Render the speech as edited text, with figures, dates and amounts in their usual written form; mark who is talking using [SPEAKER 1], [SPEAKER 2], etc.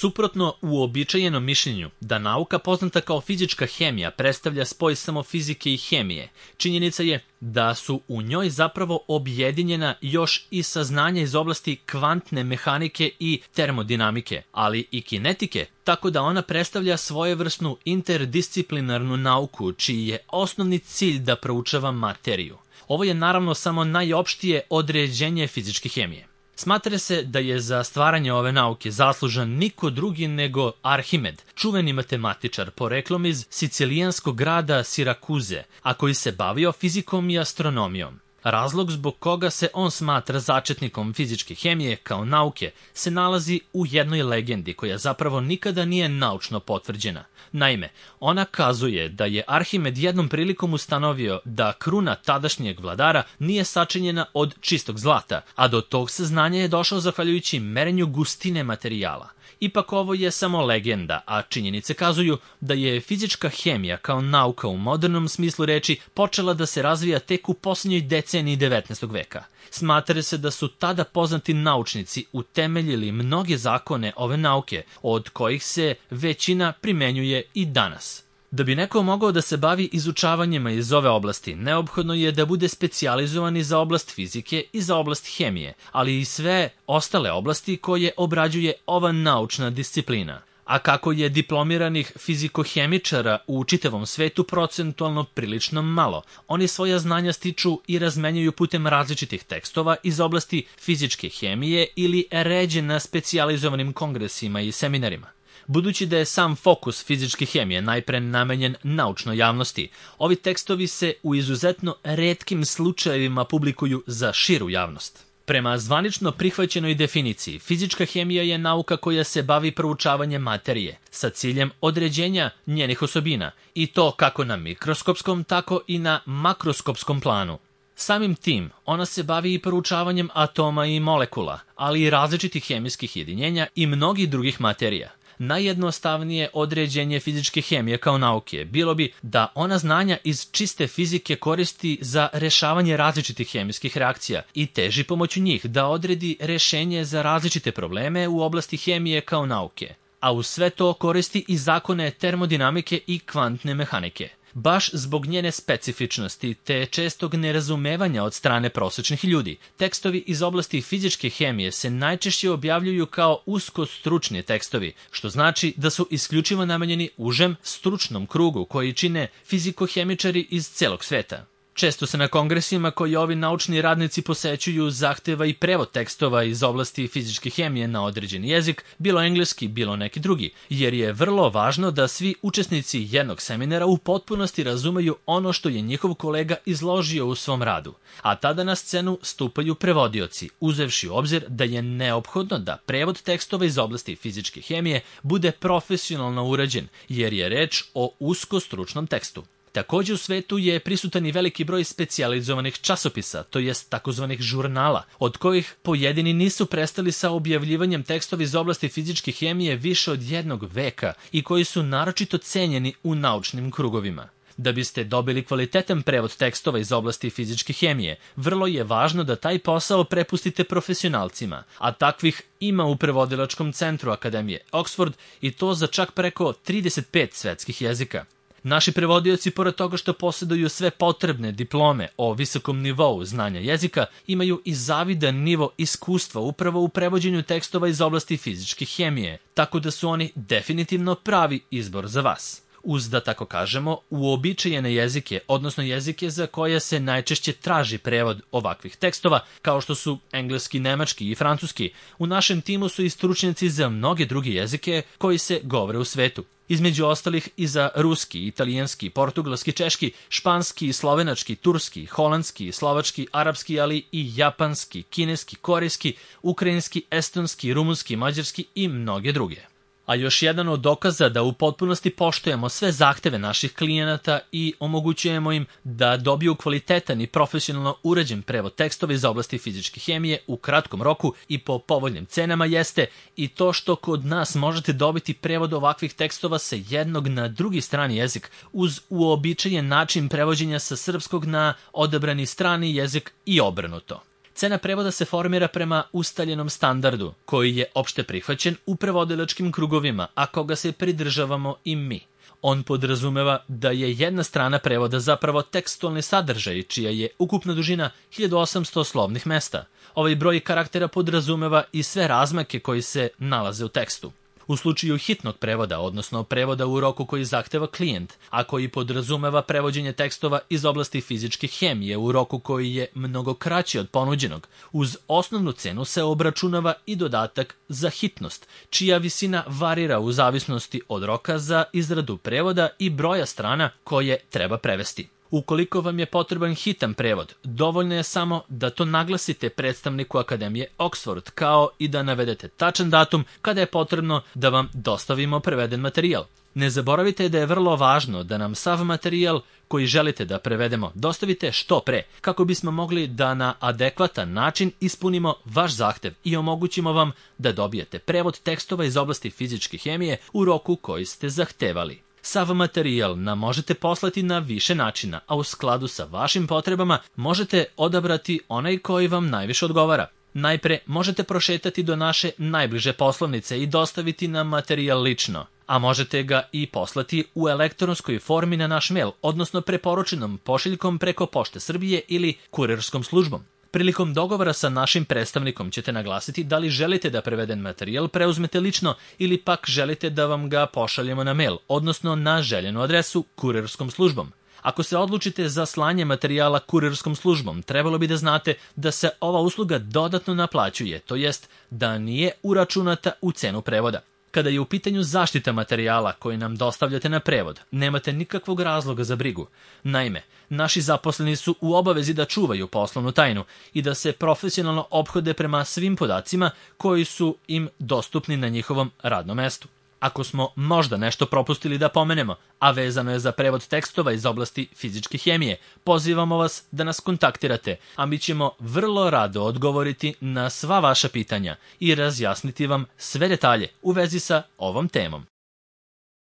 [SPEAKER 1] Suprotno uobičajenom mišljenju da nauka poznata kao fizička hemija predstavlja spoj samo fizike i hemije, činjenica je da su u njoj zapravo objedinjena još i saznanja iz oblasti kvantne mehanike i termodinamike, ali i kinetike, tako da ona predstavlja svojevrsnu interdisciplinarnu nauku čiji je osnovni cilj da proučava materiju. Ovo je naravno samo najopštije određenje fizičke hemije. Smatra se da je za stvaranje ove nauke zaslužan niko drugi nego Arhimed, čuveni matematičar poreklom iz sicilijanskog grada Sirakuze, a koji se bavio fizikom i astronomijom. Razlog zbog koga se on smatra začetnikom fizičke hemije kao nauke se nalazi u jednoj legendi koja zapravo nikada nije naučno potvrđena. Naime, ona kazuje da je Arhimed jednom prilikom ustanovio da kruna tadašnjeg vladara nije sačinjena od čistog zlata, a do tog saznanja je došao zahvaljujući merenju gustine materijala. Ipak ovo je samo legenda, a činjenice kazuju da je fizička hemija kao nauka u modernom smislu reči počela da se razvija tek u posljednjoj deceniji 19. veka. Smatra se da su tada poznati naučnici utemeljili mnoge zakone ove nauke, od kojih se većina primenjuje i danas. Da bi neko mogao da se bavi izučavanjima iz ove oblasti, neophodno je da bude specijalizovan i za oblast fizike i za oblast hemije, ali i sve ostale oblasti koje obrađuje ova naučna disciplina. A kako je diplomiranih fizikohemičara u čitavom svetu procentualno prilično malo, oni svoja znanja stiču i razmenjuju putem različitih tekstova iz oblasti fizičke hemije ili ređe na specijalizovanim kongresima i seminarima. Budući da je sam fokus fizičke hemije najpre namenjen naučnoj javnosti, ovi tekstovi se u izuzetno retkim slučajevima publikuju za širu javnost. Prema zvanično prihvaćenoj definiciji, fizička hemija je nauka koja se bavi proučavanjem materije sa ciljem određenja njenih osobina, i to kako na mikroskopskom, tako i na makroskopskom planu. Samim tim, ona se bavi i proučavanjem atoma i molekula, ali i različitih hemijskih jedinjenja i mnogih drugih materija. Najjednostavnije određenje fizičke hemije kao nauke bilo bi da ona znanja iz čiste fizike koristi za rešavanje različitih hemijskih reakcija i teži pomoću njih da odredi rešenje za različite probleme u oblasti hemije kao nauke, a uz sve to koristi i zakone termodinamike i kvantne mehanike. Baš zbog njene specifičnosti te čestog nerazumevanja od strane prosečnih ljudi, tekstovi iz oblasti fizičke hemije se najčešće objavljuju kao usko stručni tekstovi, što znači da su isključivo namenjeni užem stručnom krugu koji čine fizikohemičari iz celog sveta. Često se na kongresima koji ovi naučni radnici posećuju zahteva i prevod tekstova iz oblasti fizičke hemije na određeni jezik, bilo engleski, bilo neki drugi, jer je vrlo važno da svi učesnici jednog seminara u potpunosti razumeju ono što je njihov kolega izložio u svom radu, a tada na scenu stupaju prevodioci, uzevši u obzir da je neophodno da prevod tekstova iz oblasti fizičke hemije bude profesionalno urađen, jer je reč o usko stručnom tekstu. Također u svetu je prisutan i veliki broj specijalizovanih časopisa, to jest takozvanih žurnala, od kojih pojedini nisu prestali sa objavljivanjem tekstova iz oblasti fizičke hemije više od 1 veka i koji su naročito cenjeni u naučnim krugovima. Da biste dobili kvalitetan prevod tekstova iz oblasti fizičke hemije, vrlo je važno da taj posao prepustite profesionalcima, a takvih ima u prevodilačkom centru Akademije Oxford i to za čak preko 35 svetskih jezika. Naši prevodioci, pored toga što posjeduju sve potrebne diplome o visokom nivou znanja jezika, imaju i zavidan nivo iskustva upravo u prevođenju tekstova iz oblasti fizičke hemije, tako da su oni definitivno pravi izbor za vas. Uz, da tako kažemo, uobičajene jezike, odnosno jezike za koje se najčešće traži prevod ovakvih tekstova, kao što su engleski, nemački i francuski, u našem timu su i stručnjaci za mnoge druge jezike koji se govore u svetu. Između ostalih i za ruski, italijanski, portugalski, češki, španski, slovenački, turski, holandski, slovački, arapski, ali i japanski, kineski, korejski, ukrajinski, estonski, rumunski, mađarski i mnoge druge. A još jedan od dokaza da u potpunosti poštujemo sve zahteve naših klijenata i omogućujemo im da dobiju kvalitetan i profesionalno urađen prevod tekstova iz oblasti fizičke hemije u kratkom roku i po povoljnim cenama jeste i to što kod nas možete dobiti prevod ovakvih tekstova sa jednog na drugi strani jezik uz uobičajen način prevođenja sa srpskog na odabrani strani jezik i obrnuto. Cena prevoda se formira prema ustaljenom standardu, koji je opšte prihvaćen u prevodilačkim krugovima, a koga se pridržavamo i mi. On podrazumeva da je jedna strana prevoda zapravo tekstualni sadržaj, čija je ukupna dužina 1800 slovnih mesta. Ovaj broj karaktera podrazumeva i sve razmake koji se nalaze u tekstu. U slučaju hitnog prevoda, odnosno prevoda u roku koji zahteva klijent, a koji podrazumeva prevođenje tekstova iz oblasti fizičke hemije u roku koji je mnogo kraći od ponuđenog, uz osnovnu cenu se obračunava i dodatak za hitnost, čija visina varira u zavisnosti od roka za izradu prevoda i broja strana koje treba prevesti. Ukoliko vam je potreban hitan prevod, dovoljno je samo da to naglasite predstavniku Akademije Oxford, kao i da navedete tačan datum kada je potrebno da vam dostavimo preveden materijal. Ne zaboravite da je vrlo važno da nam sav materijal koji želite da prevedemo dostavite što pre, kako bismo mogli da na adekvatan način ispunimo vaš zahtev i omogućimo vam da dobijete prevod tekstova iz oblasti fizičke hemije u roku koji ste zahtevali. Sav materijal nam možete poslati na više načina, a u skladu sa vašim potrebama možete odabrati onaj koji vam najviše odgovara. Najpre možete prošetati do naše najbliže poslovnice i dostaviti nam materijal lično, a možete ga i poslati u elektronskoj formi na naš mail, odnosno preporučenom pošiljkom preko Pošte Srbije ili kurirskom službom. Prilikom dogovora sa našim predstavnikom ćete naglasiti da li želite da preveden materijal preuzmete lično ili pak želite da vam ga pošaljemo na mail, odnosno na željenu adresu kurirskom službom. Ako se odlučite za slanje materijala kurirskom službom, trebalo bi da znate da se ova usluga dodatno naplaćuje, to jest da nije uračunata u cenu prevoda. Kada je u pitanju zaštita materijala koji nam dostavljate na prevod, nemate nikakvog razloga za brigu. Naime, naši zaposleni su u obavezi da čuvaju poslovnu tajnu i da se profesionalno ophode prema svim podacima koji su im dostupni na njihovom radnom mestu. Ako smo možda nešto propustili da pomenemo, a vezano je za prevod tekstova iz oblasti fizičke hemije, pozivamo vas da nas kontaktirate, a mi ćemo vrlo rado odgovoriti na sva vaša pitanja i razjasniti vam sve detalje u vezi sa ovom temom.